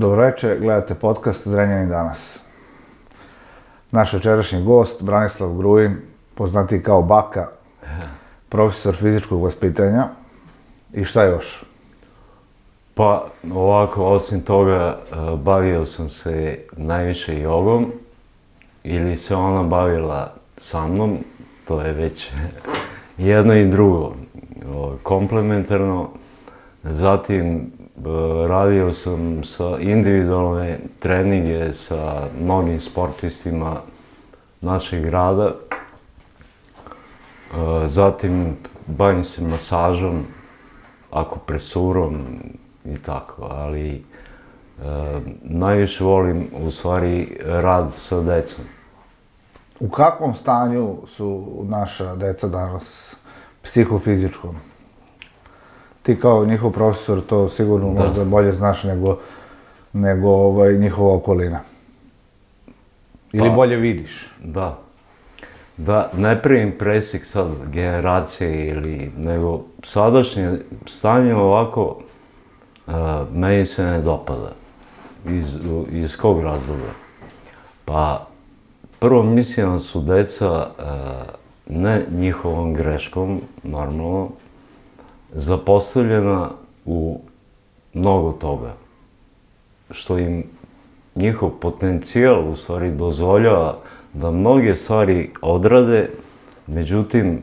Dobroveče, gledate podcast Zrenjanin danas. Naš večerašnji gost, Branislav Grujin, poznatiji kao Baka, profesor fizičkog vaspitanja. I šta još? Pa ovako, osim toga, bavio sam se najviše jogom ili se ona bavila sa mnom, to je već jedno i drugo, komplementarno. Zatim radio sam sa individualne treninge sa mnogim sportistima našeg grada. Zatim bavim se masažom, akupresurom i tako, ali najviše volim u stvari rad sa decom. U kakvom stanju su naša deca danas, psihofizičkom? Ti kao njihov profesor to sigurno možda bolje znaš nego njihova okolina. Ili bolje vidiš. Da, ne pravim presjek sad generacije nego sadašnje stanje ovako meni se ne dopada. Iz kog razloga? Pa prvo mislim da su deca ne njihovom greškom, normalno, zapostavljena u mnogo toga, što im njihov potencijal u stvari dozvoljava da mnoge stvari odrade, međutim,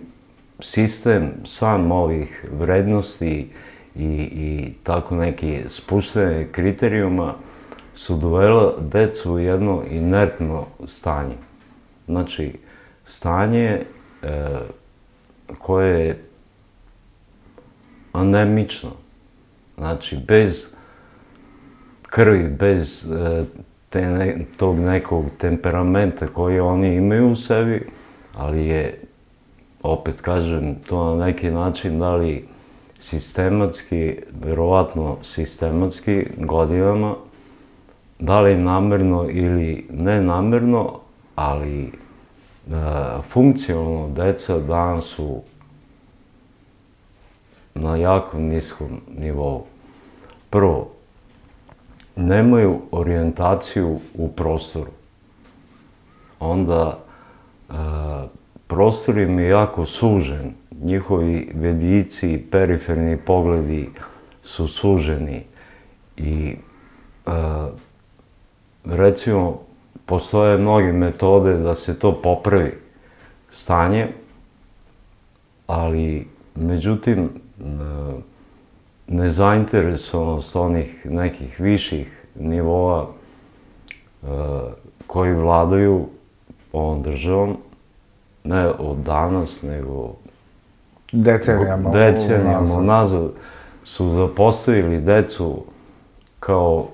sistem sam ovih vrednosti i tako neki spuštene kriterijuma su dovela decu u jedno inertno stanje. Znači, stanje koje je anemično, znači bez krvi, bez tog nekog temperamenta koji oni imaju u sebi, ali je, opet kažem, to na neki način da li sistematski, verovatno sistematski, godinama, da li namerno ili nenamerno, ali funkcionalno deca danas su na jako niskom nivou. Prvo, nemaju orijentaciju u prostoru. Onda, prostor im je jako sužen. Njihovi vidici i periferni pogledi su suženi. I, recimo, postoje mnoge metode da se to popravi stanje, ali, međutim, nezainteresovanost onih nekih viših nivoa koji vladaju ovom državom, ne od danas, nego decenijama nazad, su zapostavili decu kao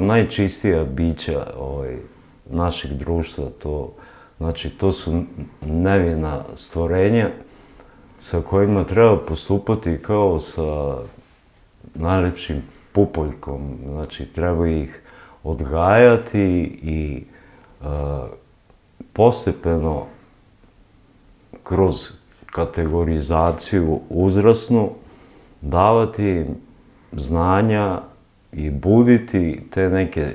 najčistija bića našeg društva. Znači, to su nevina stvorenja sa kojima treba postupati kao sa najlepšim pupoljkom. Znači, treba ih odgajati i postepeno kroz kategorizaciju uzrasnu davati im znanja i buditi te neke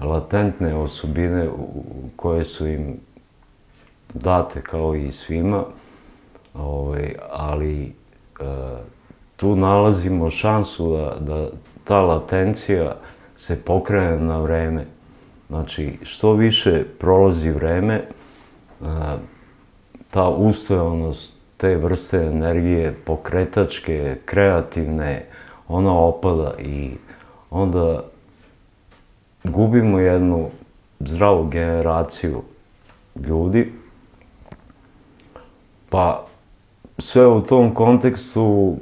latentne osobine koje su im date kao i svima. Ali tu nalazimo šansu da ta latencija se pokrene na vreme. Znači, što više prolazi vreme, ta ustojanost te vrste energije, pokretačke, kreativne, ona opada i onda gubimo jednu zdravu generaciju ljudi. Pa sve u tom kontekstu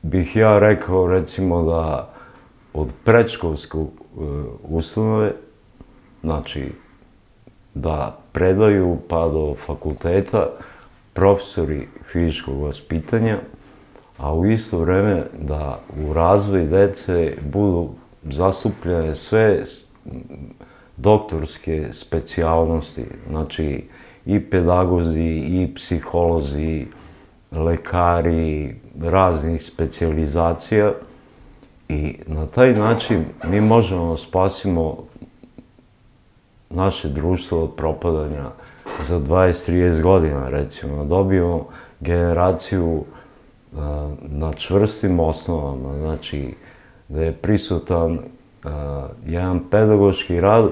bih ja rekao, recimo, da od predškolske ustanove, znači da predaju pa do fakulteta profesori fizičkog vaspitanja, a u isto vreme da u razvoj dece budu zastupljene sve doktorske specijalnosti, znači i pedagozi, i psiholozi, lekari, raznih specijalizacija I na taj način mi možemo spasimo naše društvo od propadanja za 20-30 godina, recimo. Dobijemo generaciju na čvrstim osnovama, znači da je prisutan jedan pedagoški rad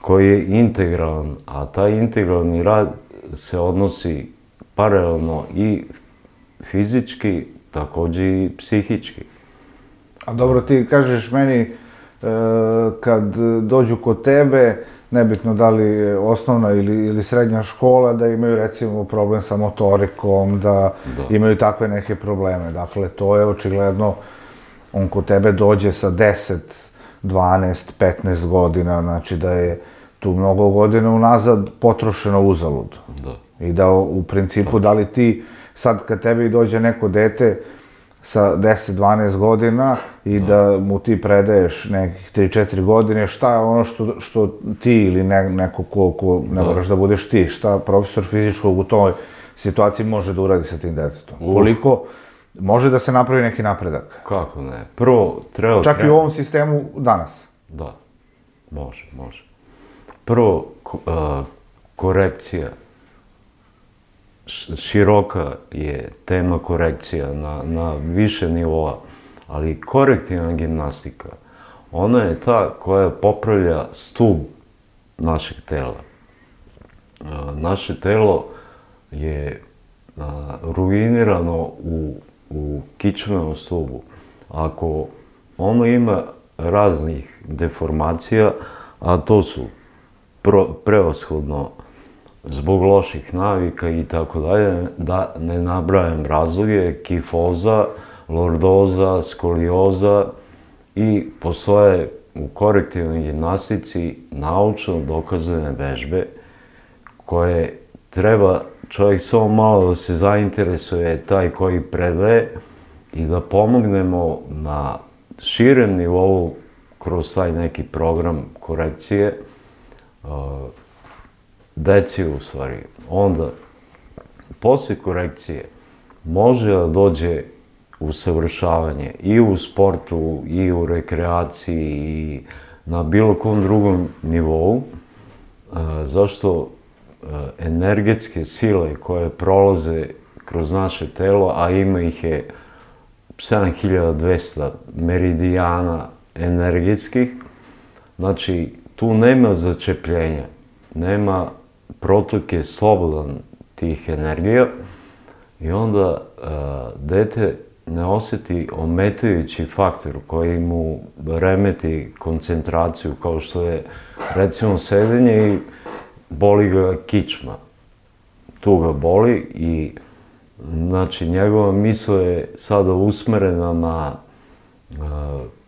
koji je integralan, a taj integralni rad se odnosi paralelno i fizički, također i psihički. A dobro, ti kažeš meni kad dođu kod tebe, nebitno da li je osnovna ili srednja škola, da imaju recimo problem sa motorikom, da imaju takve neke probleme. Dakle, to je očigledno, on kod tebe dođe sa 10, 12, 15 godina, znači da je tu mnogo godina unazad potrošeno uzalud. Da. I da u principu, da li ti sad kad tebi dođe neko dete sa 10-12 godina i da mu ti predaješ nekih 3-4 godine, šta je ono što ti ili neko ko ne moraš da budeš ti, šta profesor fizičkog u toj situaciji može da uradi sa tim detetom? Koliko može da se napravi neki napredak? Kako ne? Prvo, treba... Čak i u ovom sistemu danas? Da, može. Prvo, korekcija. Široka je tema korekcija na više nivoa, ali korektivna gimnastika, ona je ta koja popravlja stub našeg tela. Naše telo je ruinirano u kičmenom stubu. Ako ono ima raznih deformacija, a to su prevashodno zbog loših navika i tako dalje, da ne nabrajam razloge, kifoza, lordoza, skolioza i postoje u korektivnoj gimnastici naučno dokazane vežbe koje treba čovjek samo malo da se zainteresuje, taj koji predaje, i da pomognemo na širem nivou kroz taj neki program korekcije deci u stvari. Onda, poslije korekcije, može da dođe usavršavanje i u sportu, i u rekreaciji, i na bilo kom drugom nivou, zašto energetske sile koje prolaze kroz naše telo, a ima ih je 7200 meridijana energetskih, znači tu nema začepljenja, nema protok je slobodan tih energija i onda dete ne osjeti ometajući faktor koji mu remeti koncentraciju, kao što je recimo sedenje i boli ga kičma. Tu ga boli i znači njegova misao je sada usmerena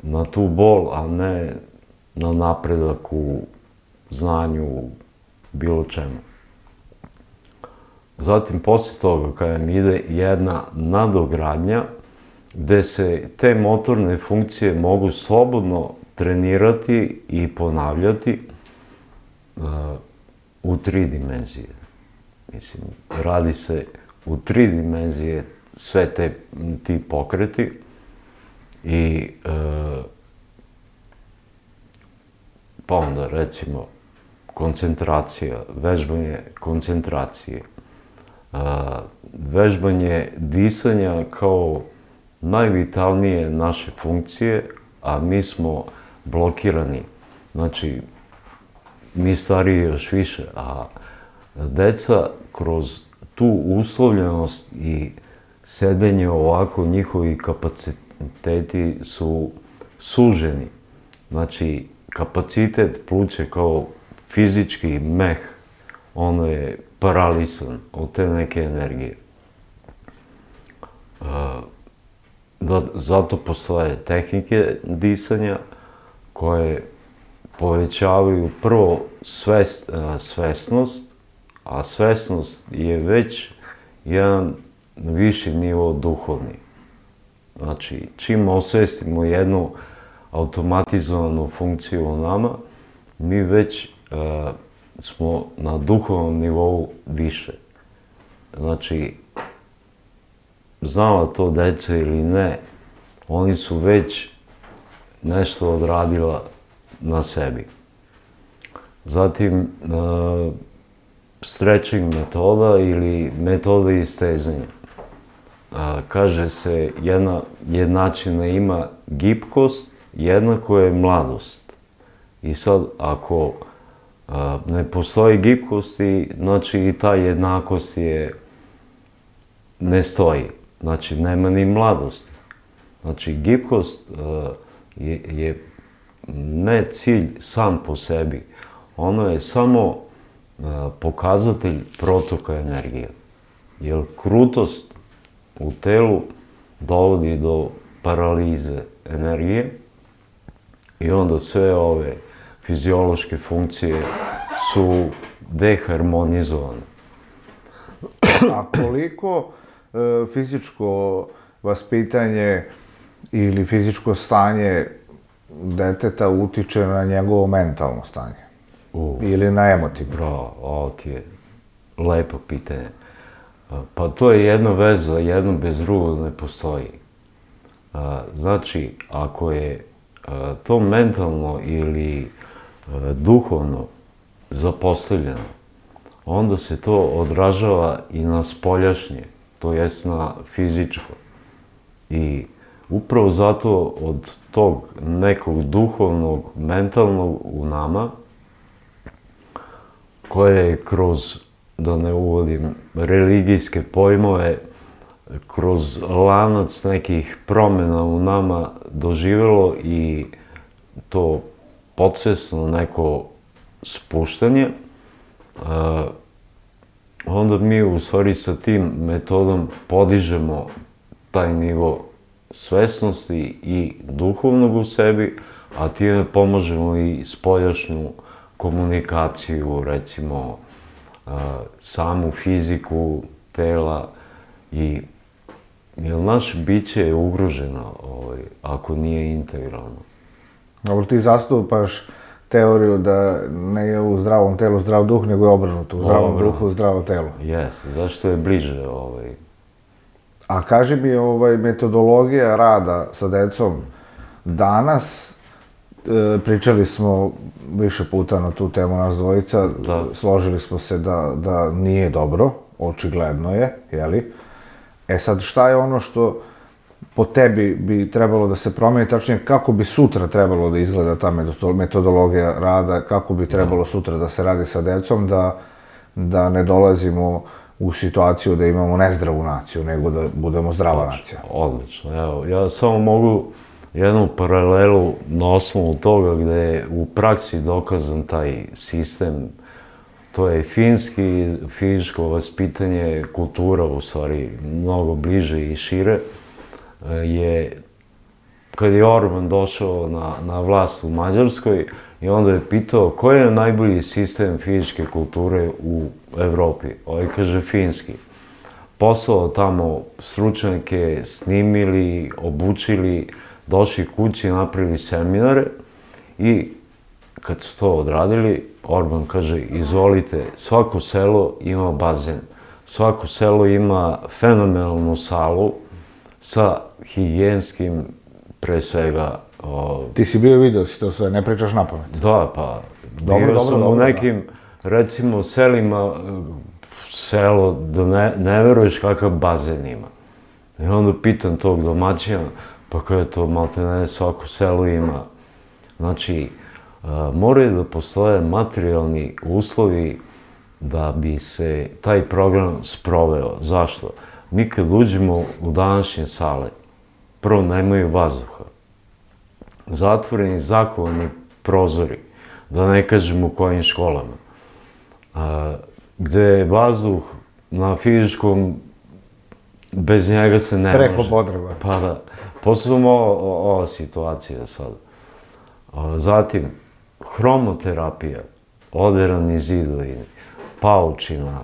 na tu bol, a ne na napredak u znanju, bilo čemu. Zatim, poslije toga, kada mi ide jedna nadogradnja, gde se te motorne funkcije mogu slobodno trenirati i ponavljati u 3 dimenzije. Mislim, radi se u 3 dimenzije sve ti pokreti i pa onda, recimo, koncentracija, vežbanje koncentracije, vežbanje disanja kao najvitalnije naše funkcije, a mi smo blokirani. Znači, mi stariji još više, a deca kroz tu uslovljenost i sedenje ovako, njihovi kapaciteti su suženi. Znači, kapacitet pluća kao fizički meh, ono je paralisan od te neke energije. Zato postoje tehnike disanja koje povećavaju prvo svesnost, a svesnost je već jedan viši nivo duhovni. Znači, čim osvestimo jednu automatizovanu funkciju u nama, mi već smo na duhovnom nivou više. Znači, znala to deca ili ne, oni su već nešto odradila na sebi. Zatim, stretching metoda ili metoda istezanja. Kaže se, jedna jednačina ima gibkost, jednako je mladost. I sad, ako ne postoji gibkosti, znači i ta jednakost ne stoji. Znači, nema ni mladosti. Znači, gibkost je ne cilj sam po sebi. Ono je samo pokazatelj protoka energije. Jer krutost u telu dovodi do paralize energije i onda sve ove fiziološke funkcije su deharmonizovane. A koliko fizičko vaspitanje ili fizičko stanje deteta utiče na njegovo mentalno stanje? Ili na emotivno? Bravo, ovo ti je lepo pitanje. Pa to je jedna veza, jedno bez drugog ne postoji. Znači, ako je to mentalno ili duhovno zapostavljeno, onda se to odražava i na spoljašnje, to jest na fizičko. I upravo zato od tog nekog duhovnog, mentalnog u nama, koje je kroz, da ne uvodim religijske pojmove, kroz lanac nekih promjena u nama doživjelo i to podsvesno neko spuštanje, onda mi u stvari sa tim metodom podižemo taj nivo svesnosti i duhovnog u sebi, a time pomažemo i spoljašnju komunikaciju, recimo samu fiziku tela i jer naše biće je ugroženo ako nije integralno. Dobro, ti zastupaš teoriju da ne je u zdravom telu zdrav duh, nego je obrnuto, u zdravom duhu zdravo telo. Jes, zašto je bliže A kaži mi, metodologija rada sa decom danas, pričali smo više puta na tu temu nas dvojica, složili smo se da nije dobro, očigledno je, jeli? E sad, šta je ono što po tebi bi trebalo da se promeni, tačnije kako bi sutra trebalo da izgleda ta metodologija rada, kako bi trebalo sutra da se radi sa decom, da ne dolazimo u situaciju da imamo nezdravu naciju, nego da budemo zdrava nacija. Odlično, evo, ja samo mogu jednu paralelu na osnovu toga gde je u praksi dokazan taj sistem. To je finski, fizičko vaspitanje, kultura u stvari mnogo bliže i šire. Kad je Orban došao na vlast u Mađarskoj i onda je pitao koji je najbolji sistem fizičke kulture u Evropi. Kaže finski. Poslao tamo stručnjake, snimili, obučili, došli kući, napravili seminare i kad su to odradili, Orban kaže, izvolite, svako selo ima bazen, svako selo ima fenomenalnu salu sa higijenskim, pre svega... Ti si bio i video si to sve, ne pričaš napamet. Da, pa, bio sam u nekim, recimo, selima, selo, da ne veruješ kakav bazen ima. I onda pitam tog domaćina, pa kao je to, malte ne, svako selo ima. Znači, moraju da postoje materijalni uslovi da bi se taj program sproveo. Zašto? Mi kad uđemo u današnje sale, prvo nemaju vazduha. Zatvoreni, zakovani prozori, da ne kažem u kojim školama. Gde je vazduh na fizičkom, bez njega se ne može. Preko potreba. Pa da. Posebno ova situacija sada. Zatim, hromoterapija, oderani zidovi, paučina,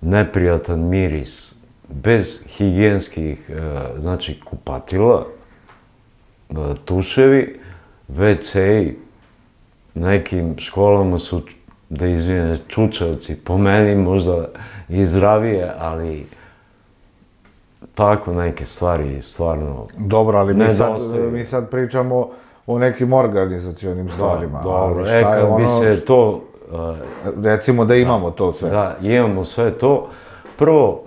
neprijatan miris, bez higijenskih, znači, kupatila, tuševi, WC-i, nekim školama su, da izvine, čučavci, po meni možda i zdravije, ali tako neke stvari stvarno... Dobro, ali mi sad pričamo o nekim organizacionim stvarima. Dobro, kad bi se to... Recimo da imamo to sve. Da, imamo sve to. Prvo,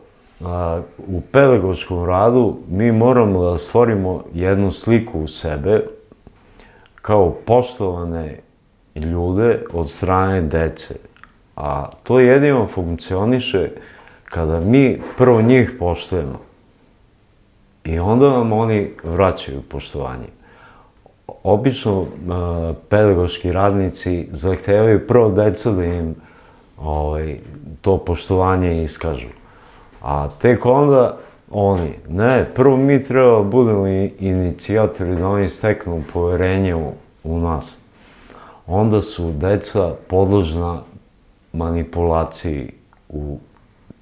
u pedagoškom radu mi moramo da stvorimo jednu sliku u sebe kao poštovane ljude od strane dece. A to jedino funkcioniše kada mi prvo njih poštujemo i onda nam oni vraćaju poštovanje. Obično pedagoški radnici zahtevaju prvo deca da im to poštovanje iskažu. A tek onda oni, ne, prvo mi treba da budemo inicijatori da oni steknu poverenje u nas. Onda su deca podložna manipulaciji u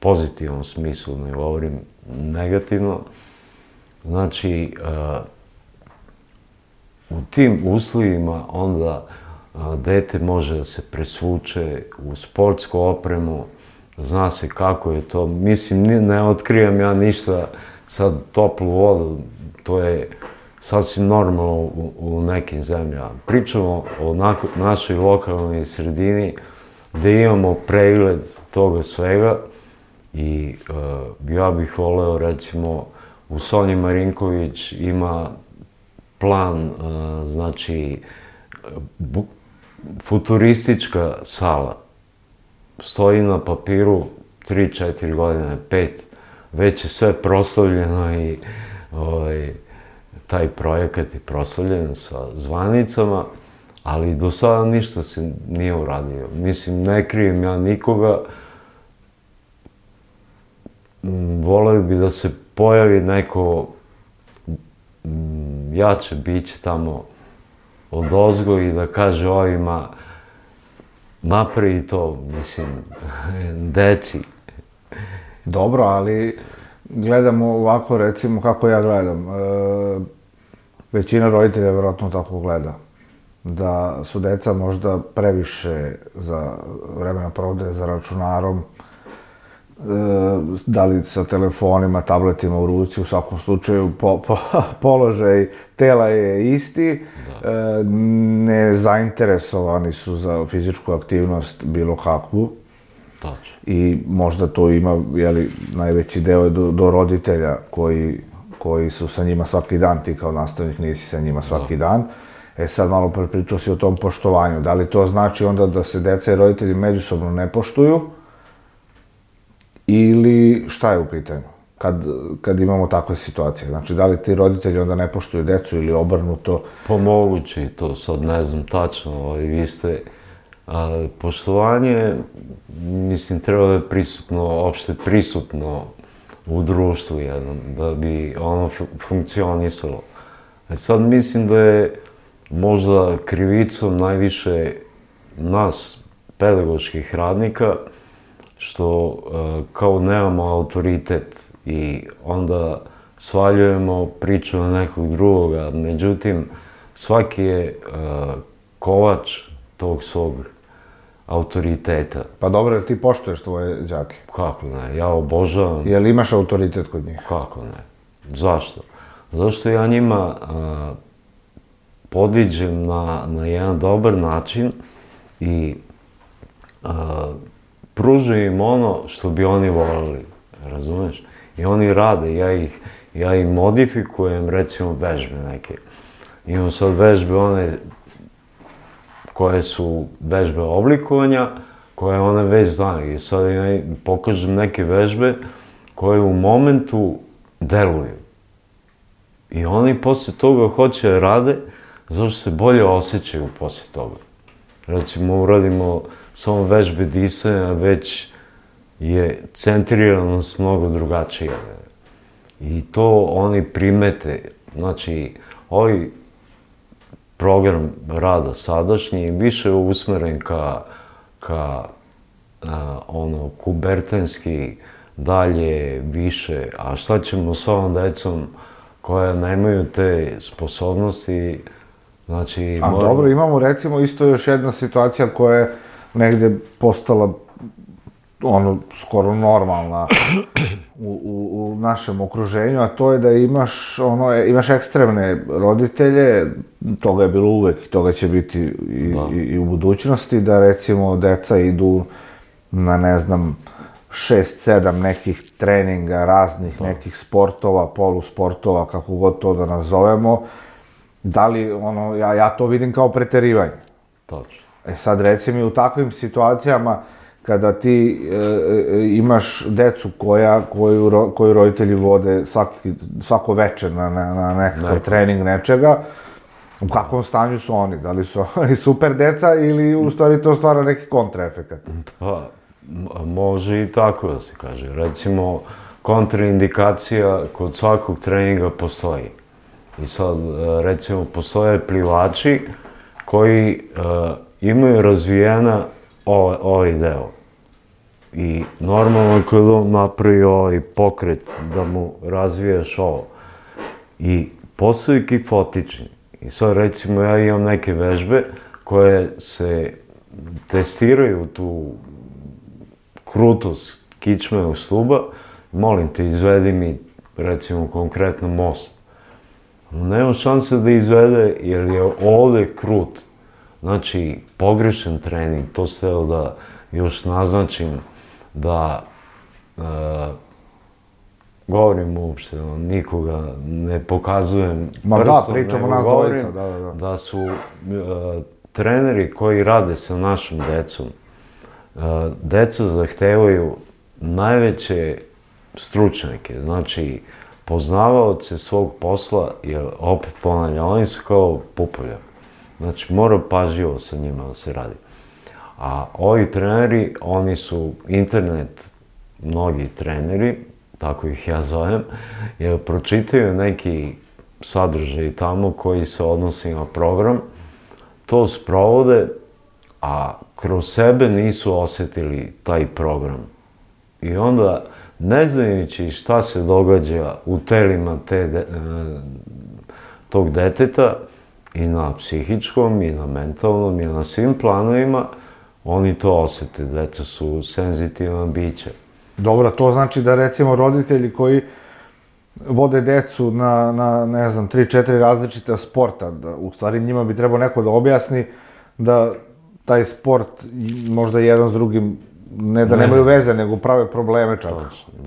pozitivnom smislu, ne govorim negativno. Znači, u tim uslovima onda dete može da se presvuče u sportsku opremu, zna se kako je to. Mislim, ne otkrivam ja ništa sad toplu vodu, to je sasvim normalno u nekim zemljama. Pričamo o našoj lokalnoj sredini gde imamo pregled toga svega i ja bih voleo, recimo, u Sonji Marinković ima plan, znači, futuristička sala. Stoji na papiru 3-4 godine, 5, već je sve proslavljeno i taj projekat je proslavljen sa zvanicama, ali do sada ništa se nije uradio. Mislim, ne krijem ja nikoga, voleo bi da se pojavi neko jače biće tamo odozgo i da kaže ovima napravi to, mislim, deci. Dobro, ali gledamo ovako, recimo, kako ja gledam. Većina roditelja vjerojatno tako gleda. Da su deca možda previše za vremena provode za računarom, da li sa telefonima, tabletima u ruci, u svakom slučaju položaj tela je isti, nezainteresovani su za fizičku aktivnost bilo kakvu. I možda to ima, najveći deo do roditelja koji su sa njima svaki dan, ti kao nastavnik nisi sa njima svaki dan. Sad malo pričao si o tom poštovanju. Da li to znači onda da se deca i roditelji međusobno ne poštuju? Ili šta je u pitanju kad imamo takve situacije? Znači, da li ti roditelji onda ne poštuju decu ili obrnuto? Pa moguće i to, sad ne znam tačno, vi ste... Poštovanje, mislim, treba da je prisutno, opšte prisutno u društvu jednom, da bi ono funkcionisalo. Sad mislim da je možda krivicom najviše nas, pedagoških radnika, što kao nemamo autoritet i onda svaljujemo priču na nekog drugoga. Međutim, svaki je kovač tog svog autoriteta. Pa dobro, jel ti poštuješ tvoje đake? Kako ne, ja obožavam. Jel imaš autoritet kod njih? Kako ne, zašto? Zašto ja njima podiđem na jedan dobar način i pružim im ono što bi oni voljeli, razumeš? I oni rade, ja ih modifikujem, recimo, vežbe neke. Imam sad vežbe one koje su vežbe oblikovanja, koje one već znaju. I sad ja pokažem neke vežbe koje u momentu deluju. I oni posle toga hoće da rade, zato što se bolje osjećaju posle toga. Recimo, uradimo samo vežbe disanja, već je centriranost mnogo drugačija. I to oni primete. Znači, ovaj program rada sadašnji više je usmeren ka kubertenski, dalje, više. A šta ćemo s ovom decom koja nemaju te sposobnosti? Znači... A dobro, imamo recimo isto još jedna situacija koja je negde postala ono, skoro normalna u našem okruženju, a to je da imaš ekstremne roditelje, toga je bilo uvek i toga će biti i u budućnosti, da recimo deca idu na, ne znam, 6-7 nekih treninga, raznih nekih sportova, polusportova, kako god to da nazovemo. Da li, ono, ja to vidim kao preterivanje. Točno. Sad, reci mi, u takvim situacijama, kada ti imaš decu koju roditelji vode svako večer na nekakav trening nečega, u kakvom stanju su oni? Da li su oni super deca ili u stvari to stvara neki kontraefekat? Pa, može i tako da se kaže. Recimo, kontraindikacija kod svakog treninga postoji. I sad, recimo, postoje plivači koji imaju razvijena ovaj deo. I normalno kad on napravi ovaj pokret da mu razviješ ovo. I postaju kifotični. I sad recimo ja imam neke vežbe koje se testiraju tu krutost kičmenog stuba. Molim te, izvedi mi recimo konkretno most. Nema šanse da izvede jer je ovde krut. Znači, pogrešan trening, to se evo da još naznačim, da govorim uopšte, nikoga ne pokazujem prstom, pričamo nego nas govorim dvojica, da su treneri koji rade sa našom decom, deca zahtevaju najveće stručnjake, znači poznavaoce svog posla, jer opet ponavljam, oni su kao pupolja. Znači, mora pažljivo sa njima da se radi. A ovi treneri, oni su internet, mnogi treneri, tako ih ja zovem, jer pročitaju neki sadržaj tamo koji se odnosi na program, to sprovode, a kroz sebe nisu osetili taj program. I onda, ne znajući šta se događa u telima tog deteta, i na psihičkom, i na mentalnom, i na svim planovima, oni to osete. Deca su senzitivna bića. Dobro, to znači da recimo roditelji koji vode decu na ne znam, 3-4 različita sporta, da u stvari njima bi trebao neko da objasni da taj sport možda jedan s drugim ne da nemaju veze, nego prave probleme čak.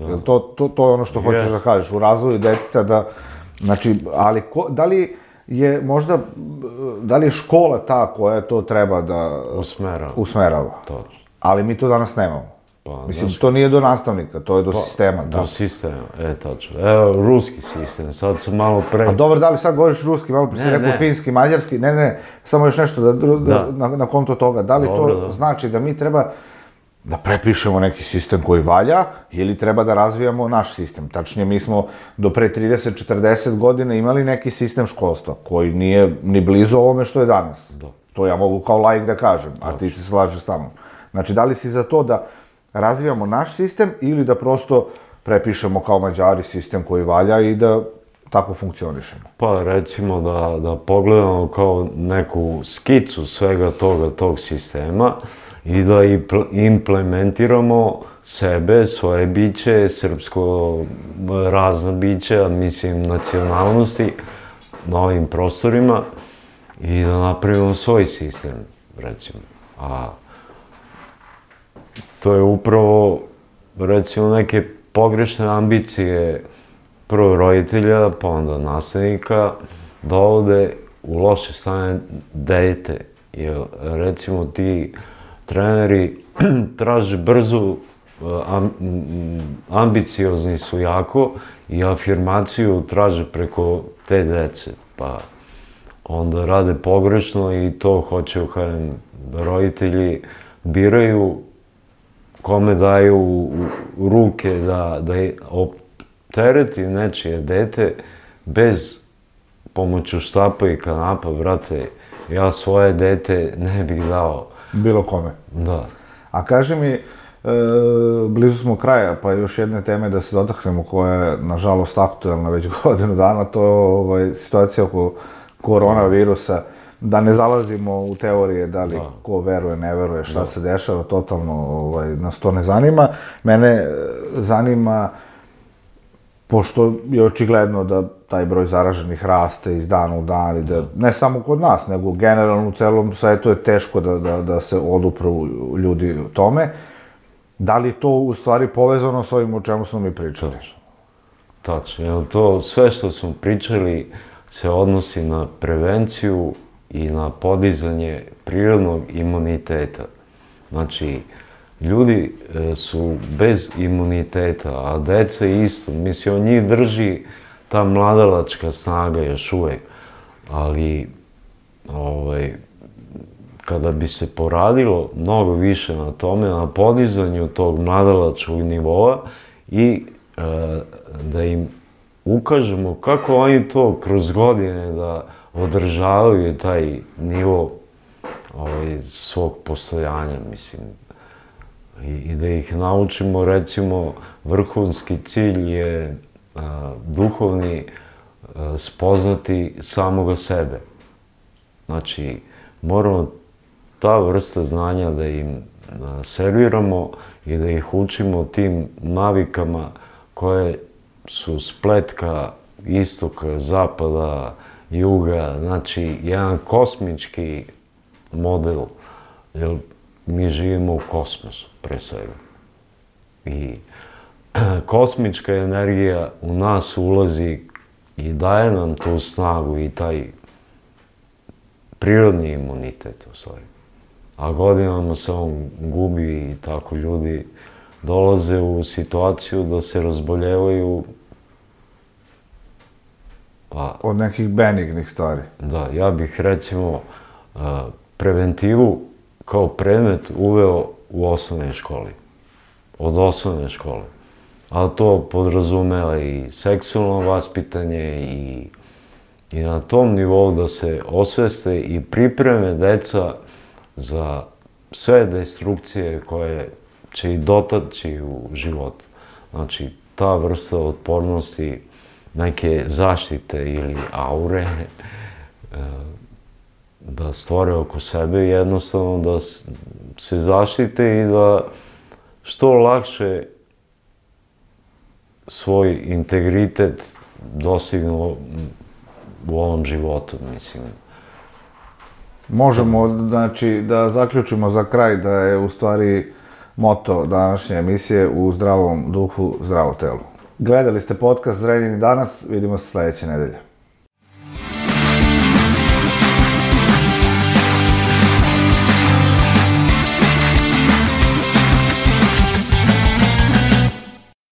Jer to je ono što hoćeš da kažeš, u razvoju deteta da, znači, ali da li je možda, da li je škola ta koja to treba da usmerava? Točno. Ali mi to danas nemamo. Mislim, to nije do nastavnika, to je do sistema. Do sistema, tačno. Evo, ruski sistem, sad sam malo pre... A dobro, da li sad govoriš ruski, malo pre si rekao finski, mađarski, ne, samo još nešto na konto toga. Da li to znači da mi treba da prepišemo neki sistem koji valja ili treba da razvijamo naš sistem? Tačnije, mi smo do pre 30-40 godina imali neki sistem školstva koji nije ni blizu ovome što je danas. To ja mogu kao laik da kažem, a ti se slažeš sa mnom. Znači, da li si za to da razvijamo naš sistem ili da prosto prepišemo kao Mađari sistem koji valja i da tako funkcionišemo? Pa recimo da pogledamo kao neku skicu svega tog sistema i da implementiramo sebe, svoje biće, srpsko razna bića, mislim nacionalnosti na ovim prostorima i da napravimo svoj sistem, recimo. A to je upravo, recimo, neke pogrešne ambicije prvo roditelja, pa onda nastavnika, dovode u loše stanje dete. Jer, recimo, ti treneri traže brzu, ambiciozni su jako i afirmaciju traže preko te dece. Pa onda rade pogrešno i to hoće da roditelji biraju kome daju u ruke da optereti nečije dete bez pomoću štapa i kanapa, brate, ja svoje dete ne bih dao. Bilo kome. Da. A kaži mi, blizu smo kraja, pa još jedne teme da se dotaknemo koja je, nažalost, aktuelna već godinu dana, to je situacija oko koronavirusa. Da ne zalazimo u teorije da li ko veruje, ne veruje, šta se dešava, totalno nas to ne zanima. Mene zanima, pošto je očigledno da taj broj zaraženih raste iz dana u dan i da ne samo kod nas, nego generalno u celom svetu je teško da se odupru ljudi tome. Da li to u stvari povezano s ovim o čemu smo mi pričali? Tačno, jer to sve što smo pričali se odnosi na prevenciju i na podizanje prirodnog imuniteta. Znači, ljudi su bez imuniteta, a deca isto. Mislim, od njih drži ta mladalačka snaga još uvek. Ali, kada bi se poradilo mnogo više na tome, na podizanju tog mladalačkog nivoa i da im ukažemo kako oni to kroz godine da održavaju taj nivo svog postojanja, mislim. I da ih naučimo, recimo, vrhunski cilj je duhovni spoznati samoga sebe. Znači, moramo ta vrsta znanja da im serviramo i da ih učimo tim navikama koje su spletka istoka, zapada, juga, znači jedan kosmički model, jer mi živimo u kosmosu, pre svega. I kosmička energija u nas ulazi i daje nam tu snagu i taj prirodni imunitet, u stvari. A godinama se on gubi i tako ljudi dolaze u situaciju da se razboljevaju od nekih benignih stvari. Da, ja bih recimo preventivu kao predmet uveo u osnovnoj školi. Od osnovne škole. A to podrazumeva i seksualno vaspitanje i na tom nivou da se osveste i pripreme deca za sve destrukcije koje će ih dotaći u životu. Znači, ta vrsta otpornosti, neke zaštite ili aure, da stvore oko sebe jednostavno da se zaštite i da što lakše svoj integritet dostignu u ovom životu, mislim. Možemo, znači, da zaključimo za kraj da je u stvari moto današnje emisije u zdravom duhu, zdravo telo. Gledali ste podcast Zrenjanin danas, vidimo se sledeće nedelje.